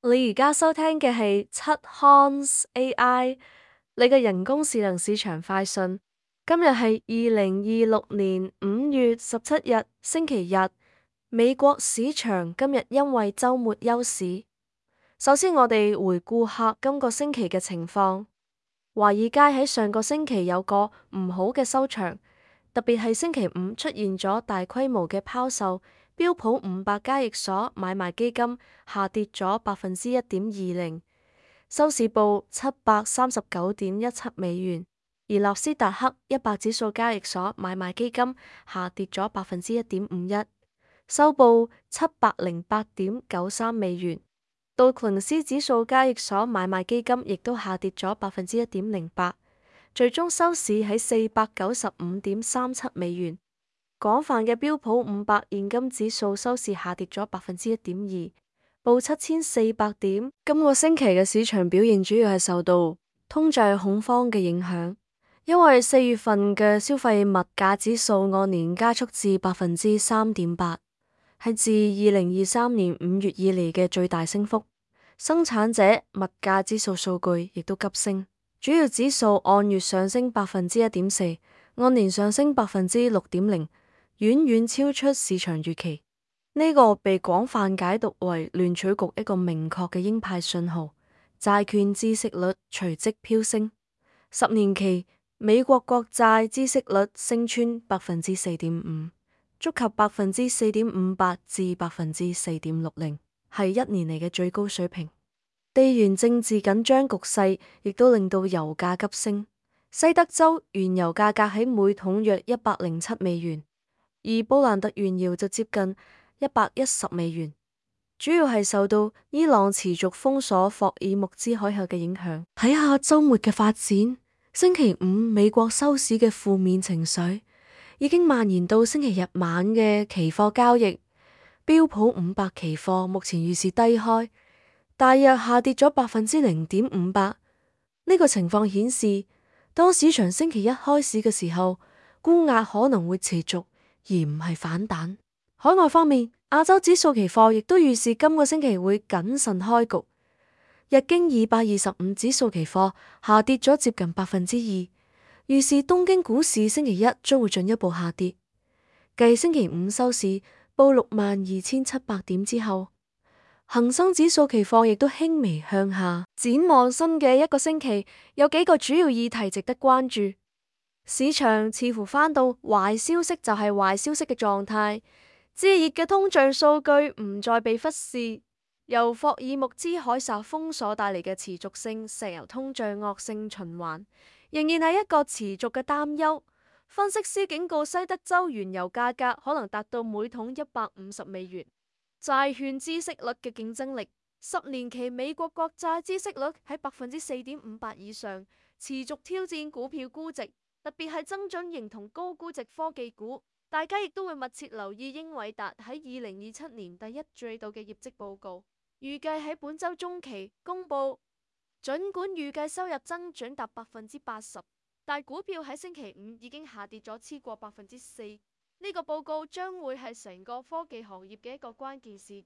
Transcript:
你而家收聽嘅係七 Hans AI，你嘅人工智能市場快訊。今日係2026年5月17日，星期日。美國市場今日因為週末休市。首先，我哋回顧下今個星期嘅情況。華爾街喺上個星期有個唔好嘅收場，特別係星期五出現咗大規模嘅拋售。標普500交易所買賣基金下跌咗1.20%，收市報739.17美元；而納斯達克100指數交易所買賣基金下跌咗1.51%，收報708.93美元。道瓊斯指數交易所買賣基金亦都下跌咗1.08%，最終收市喺495.37美元。廣泛嘅標普500現金指數收市下跌咗1.2%，報7400點。今個星期嘅市場表現主要係受到通脹恐慌嘅影響，因為4月份嘅消費物價指數按年加速至3.8%，係自2023年5月以嚟嘅最大升幅。生產者物價指數數據亦都急升，主要指數按月上升1.4%，按年上升6.0%。遠遠超出市場預期，呢個被廣泛解讀為聯儲局一個明確嘅鷹派信號。債券孳息率隨即飆升，10年期美國國債孳息率升穿4.5%，觸及4.58%至4.60%，係1年嚟嘅最高水平。地緣政治緊張局勢亦都令到油價急升，西德州原油價格喺每桶約107美元。而布蘭特原油就接近110美元，主要係受到伊朗持續封鎖霍爾木茲海峽嘅影響。睇下周末嘅發展，星期五美國收市嘅負面情緒已經蔓延到星期日晚嘅期貨交易。標普500期貨目前預示低開，大約下跌咗0.58%。呢個情況顯示，當市場星期一開市嘅時候，沽壓可能會持續，而唔係反彈。海外方面，亞洲指數期貨亦都預示今個星期會謹慎開局。日經225指數期貨下跌咗接近2%，預示東京股市星期一將會進一步下跌。繼星期五收市報62,700點之後，恒生指數期貨亦都輕微向下。展望新嘅一個星期，有幾個主要議題值得關注。市場似乎返到壞消息就係壞消息嘅狀態，炙熱嘅通脹數據唔再被忽視。由霍爾木茲海峽封鎖帶嚟嘅持續性石油通脹惡性循環，仍然係一個持續嘅擔憂。分析師警告西德州原油價格可能達到每桶150美元。債券孳息率嘅競爭力，10年期美國國債孳息率喺4.58%以上，持續挑戰股票估值。特別係增長型同高估值科技股，大家亦都會密切留意英偉達喺2027年第一季度嘅業績報告，預計喺本周中期公布。儘管預計收入增長達80%，但股票喺星期五已經下跌咗超過4%。呢個報告將會係成個科技行業嘅一個關鍵事件。